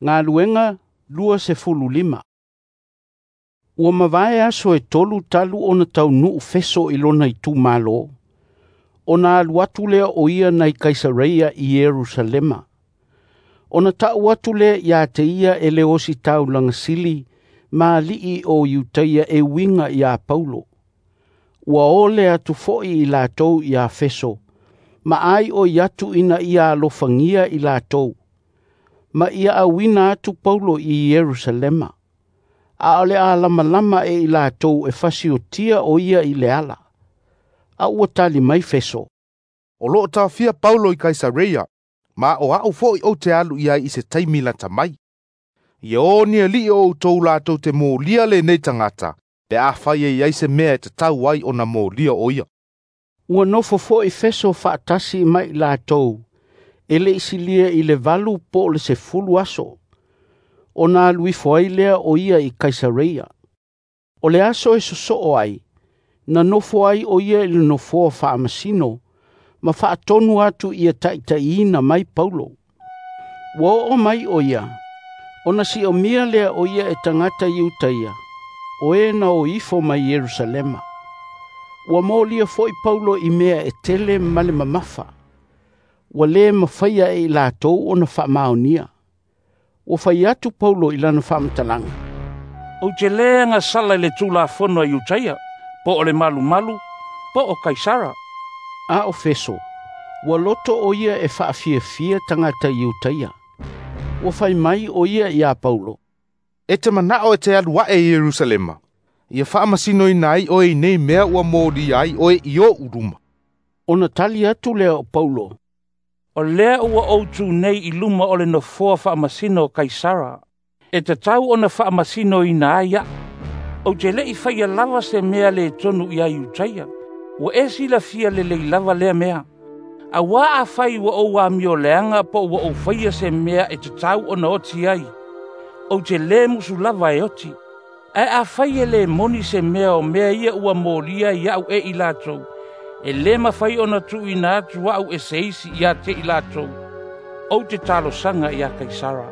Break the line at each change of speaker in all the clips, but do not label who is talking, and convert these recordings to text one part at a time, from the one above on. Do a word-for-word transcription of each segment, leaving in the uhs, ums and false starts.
Galuega luasefululima. Ua mavae aso e tolu talu ona taunuu Feso i lona itumalo, ona alu atu lea o ia nai Kaisareia i Ierusalema. Ona ta'u atu lea ia te ia e le Ositaulaga Sili ma ali'i o Iutaia e uiga ia Paulo. Ua ole atu fo'i i latou ia Feso, ma aioi atu ina ia alofagia i latou, ma ia auina atu Paulo i Ierusalema. A o le a lamalama e i latou e fasiotia o ia i le ala. A ua tali mai Feso,
"O loo taofia Paulo i Kaisareia, ma o a'u fo'i ou te alu i ai i se taimi lata mai. Ia o ni ali'i o outou latou te molia lenei tagata, pe afai e i ai se mea e tatau ai ona molia o ia."
Ua nofo fo'i Feso fa'atasi ma i latou, e le'i silia i le valu po o le sefulu aso, ona alu ifo ai lea o ia i Kaisareia. O le aso e soso'o ai, na nofo ai o ia i le nofoa faamasino, ma faatonu atu ia taʻitaʻiina mai Paulo. Ua oo mai o ia, ona siomia lea o ia e tagata Iutaia, o e na o ifo mai Ierusalema. Ua molia fo'i Paulo i mea e tele ma le mamafa, ua lē mafaia e i latou ona faamaonia. Ua fai atu Paulo i lana faamatalaga,
"Ou te lē agasala i le Tulafono a Iutaia, po o le malumalu, po o Kaisara."
A o Feso, ua loto o ia e faafiafia tagata Iutaia. Ua fai mai o ia iā Paulo,
"E te mana'o e te alu a'e i Ierusalema, ia faamasinoina ai oe i nei mea ua molia ai oe i o'u luma."
Ona tali atu lea o Paulo,
"O lea ua ou tu nei i luma o le nofoa faamasino o Kaisara, e tatau ona faamasinoina ai aʻu. Ou te le'i faia lava se mea lē tonu iā Iutaia, ua e silafia lelei lava lea mea. Auā afai ua ou amio leaga po ua ou faia se mea e tatau ona oti ai, ou te lē musu lava e oti. Ae afai e lē moni se mea o mea ia ua molia iaʻu e i latou, e lē mafai ona tuuina atu aʻu e se isi ia te i latou. Ou te talosaga iā Kaisara."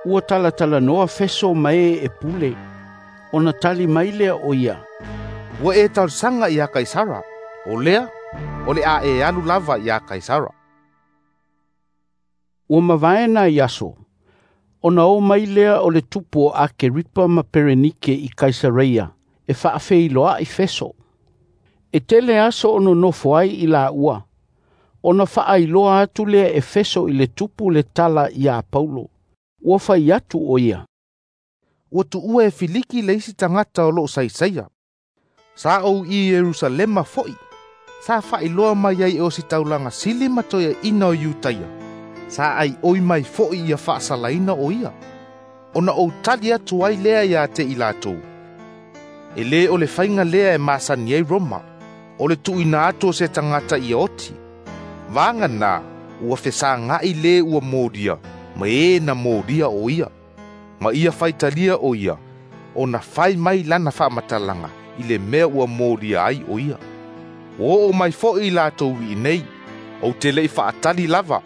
Ua talatalanoa Feso ma e e pule, ona tali mai lea o ia,
"Ua e talosaga iā Kaisara, o lea, o le a e alu lava iā Kaisara."
Ua mavae nai aso, ona o mai lea o le tupu o Akeripa ma Perenike i Kaisareia e faafeiloa'i Feso. E tele aso o nonofo ai i laua, ona faailoa atu lea e Feso i le tupu le tala iā Paulo. Ua fai atu o ia,
"Ua tuua e Filiki le isi tagata o loo saisaia. Sa ou i Ierusalema fo'i, sa faailoa mai ai e Ositaulaga Sili ma toeaʻina o Iutaia, sa aioi mai fo'i ia faasalaina o ia. Ona ou tali atu ai lea iā te i latou, e lē o le faiga lea e masani ai Roma, o le tuuina atu o se tagata ia oti. Vaganā ua fesaga'i lē ua molia ma ē na molia o ia, ma ia faitalia o ia, ona fai mai lana faamatalaga i le mea ua molia ai o ia. Ua oo mai fo'i i latou i nei, ou te le'i faatali lava,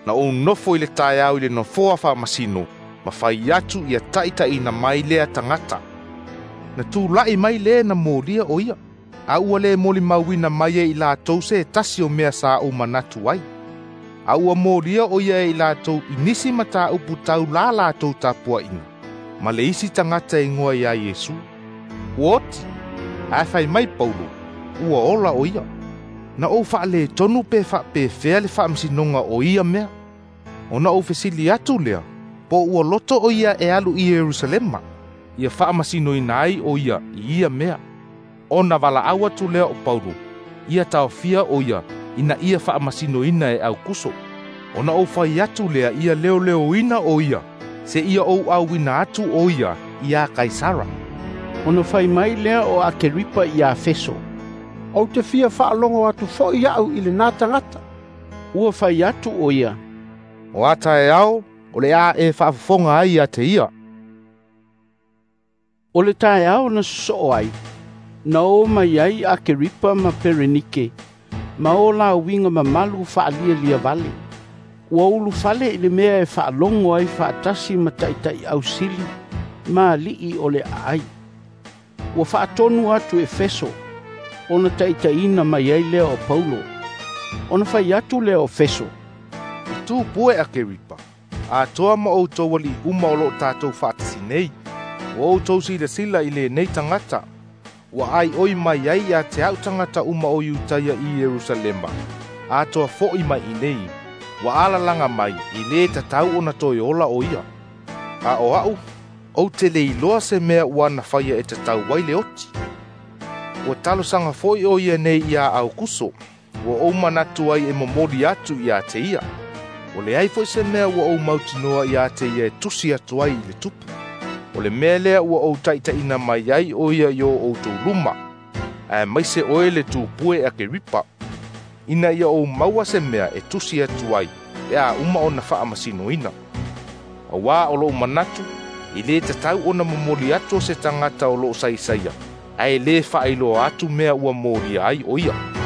na ou nofo i le taeao i le nofoa faamasino, ma fai atu ia taʻitaʻina mai lea tagata. Na tula'i mai lē na molia o ia, a ua lē molimauina mai e i latou se tasi o mea sa ou manatu ai. A ua molia o ia e i latou i nisi matāupu tau la latou tapuaʻiga, ma le isi tagata e igoa iā Iesu. Ua oti, ae fai mai Paulo, ua ola o ia. Na ou faaletonu pe faapefea le faamasinoga o ia mea. Ona ou fesili atu lea, po ua loto o ia e alu i Ierusalema, ia faamasinoina ai o ia i ia mea. Ona valaau atu lea o Paulo, ia taofia o ia ina ia faamasinoina e Aukuso. Ona ou fai atu lea ia leoleoina o ia, seia ou auina atu o ia iā Kaisara."
Ona fai mai lea o Akeripa iā Feso,
"Ou te fia faalogo atu fo'i a'u i lenā tagata."
Ua fai atu o ia,
"O a taeao, o le a e faafofoga ai ia te ia."
O le taeao na soso'o ai, na o mai ai Akeripa ma Perenike, ma o la uiga mamalu faalialia vale. Ua ulufale i le mea e faalogo ai faatasi ma taitaiau sili ma alii o le aai. Ua faatonu atu e Feso, ona taitaiina mai ai lea o Paulo. Ona fai atu lea o Feso,
"Le tupua e Akeripa, atoa ma outou alii uma o loo tatou faatasi nei, ua outou silasila i lenei tagata, ua aioi mai ai ia te au tagata uma o Iutaia i Ierusalema, atoa fo'i mai i nei, ua alalaga mai i lē tatau ona toe ola o ia. A o a'u, ou te le iloa se mea ua na faia e tatau ai le oti. Ua talosaga foi o ia nei iā Aukuso, ua ou manatu ai e momoli atu iā te ia. Ua leai foi se mea ua ou mautinoa iā te ia e tusi atu ai i le tupu. O le mea lea ua ou taitaiina mai ai o ia i o outou luma, aemaise oe le tupua e Akeripa, ina ia ou maua se mea e tusi atu ai pe a uma ona faamasinoina. Auā o lou manatu, e lē tatau ona momoli atu o se tagata o loo saisaia, ae lē faailoa atu mea ua molia ai o ia."